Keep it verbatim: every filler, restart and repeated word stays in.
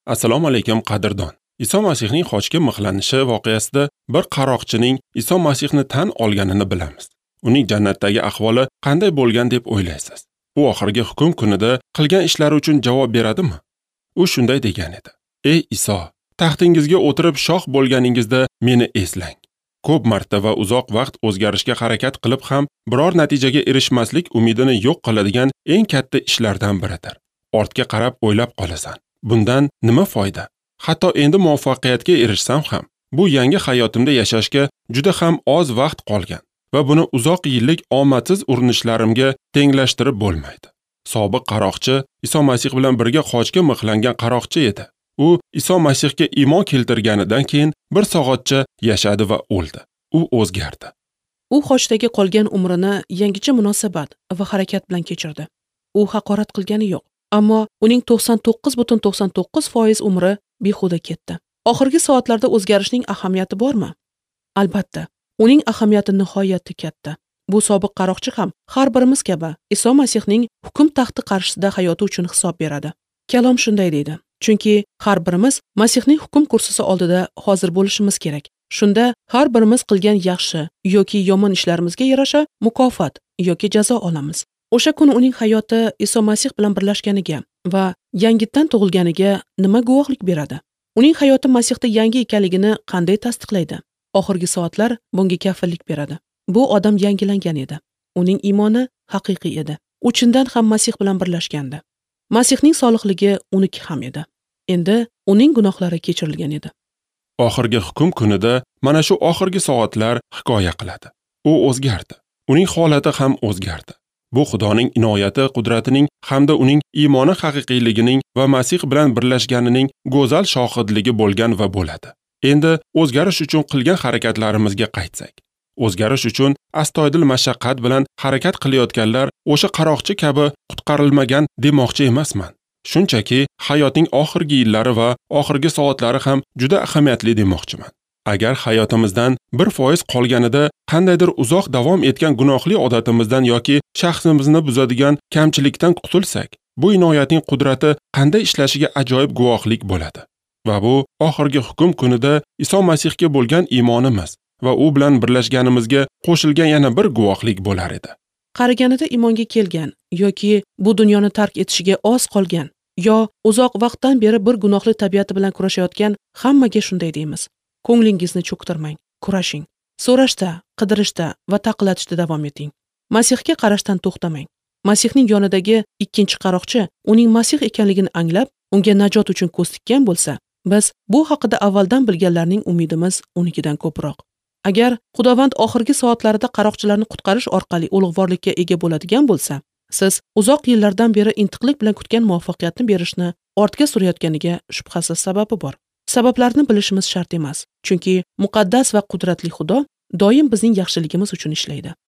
Assalomu alaykum qadrdon. Iso Masihning xochga mixlanishi voqeasida bir qaroqchining Iso Masihni tan olganini bilamiz. Uning jannatdagi ahvoli qanday bo'lgan deb o'ylaysiz? U oxirgi hukm kunida qilgan ishlari uchun javob beradimi? U shunday degan edi: "Ey Iso, taxtingizga o'tirib shoh bo'lganingizda meni eslang." Ko'p marta va uzoq vaqt o'zgarishga harakat qilib ham biror natijaga erishmaslik umidini yo'q qiladigan eng katta ishlardan biridir. Ortga qarab o'ylab qolasan. Bundan nima foyda? Hatto endi muvaffaqiyatga erishsam ham, bu yangi hayotimda yashashga juda ham oz vaqt qolgan va buni uzoq yillik omadsiz urinishlarimga tenglashtirib bo'lmaydi. Sobiq qaroqchi Iso Masih bilan birga xochga mixlangan qaroqchi edi. U Iso Masihga iymon keltirganidan keyin bir soatcha yashadi va o'ldi. U o'zgardi. U xochdagi qolgan umrini yangicha munosabat va harakat bilan kechirdi. U haqorat qilgani yo'q, ammo uning to'qson to'qqiz butun to'qson to'qqiz foiz umri behuda ketdi. Oxirgi soatlarda o'zgarishning ahamiyati bormi? Albatta, uning ahamiyati nihoyatda katta. Bu sobiq qaroqchi ham har birimiz kabi Iso Masihning hukm taxti qarshisida hayoti uchun hisob beradi. Kalom shunday deydi: chunki har birimiz Masihning hukm kursisi oldida hozir bo'lishimiz kerak. Shunda har birimiz qilgan yaxshi yoki yomon ishlarimizga yarasha mukofot yoki jazo olamiz. O'sha kuni uning hayoti Iso Masih bilan birlashganiga va yangitdan tug'ilganiga nima guvohlik beradi? Uning hayoti Masihda yangi ekanligini qanday tasdiqlaydi? Oxirgi soatlar bunga kafillik beradi. Bu odam yangilangan edi. Uning iymoni haqiqiy edi. U chindan ham Masih bilan birlashgandi. Masihning solihligi uniki ham edi. Endi uning gunohlari kechirilgan edi. Oxirgi hukm kunida mana shu oxirgi soatlar hikoya qiladi. U o'zgardi. Uning holati ham o'zgardi. Bu Xudoning inoyati, qudratining hamda uning iymoni haqiqiyligining va Masih bilan birlashganining go'zal shohidligi bo'lgan va bo'ladi. Endi o'zgarish uchun qilgan harakatlarimizga qaytsak. O'zgarish uchun astoydil mashaqqat bilan harakat qilayotganlar o'sha qaroqchi kabi qutqarilmagan demoqchi emasman. Shunchaki hayotning oxirgi yillari va oxirgi soatlari ham juda ahamiyatli demoqchiman. Agar hayotimizdan bir foiz qolganida qandaydir uzoq davom etgan gunohli odatimizdan yoki shaxsimizni buzadigan kamchilikdan qutulsak, bu inoyatning qudrati qanday ishlashiga ajoyib guvohlik bo'ladi. Va bu oxirgi hukm kunida Iso Masihga bo'lgan iymonimiz va u bilan birlashganimizga qo'shilgan yana bir guvohlik bo'lar edi. Qariganida iymonga kelgan yoki bu dunyoni tark etishiga oz qolgan yo uzoq vaqtdan beri bir gunohli tabiati bilan kurashayotgan hammaga shunday deymiz: ko'nglingizni cho'ktirmang, kurashing. So'rashda, qidirishda va taqillatishda davom eting. Masihga qarashdan to'xtamang. Masihning yonidagi ikkinchi qaroqchi uning Masih ekanligini anglab, unga najot uchun ko'z tikkan bo'lsa, biz bu haqida avvaldan bilganlarning umidimiz unikidan ko'proq. Agar Xudovand oxirgi soatlarida qaroqchilarni qutqarish orqali ulug'vorlikka ega bo'ladigan bo'lsa, siz uzoq yillardan beri intiqlik bilan kutgan muvaffaqiyatni berishni ortga surayotganiga shubhasiz sababi bor. Sabablarni bilishimiz shart emas, chunki muqaddas va qudratli Xudo doim bizning yaxshiligimiz uchun ishlaydi.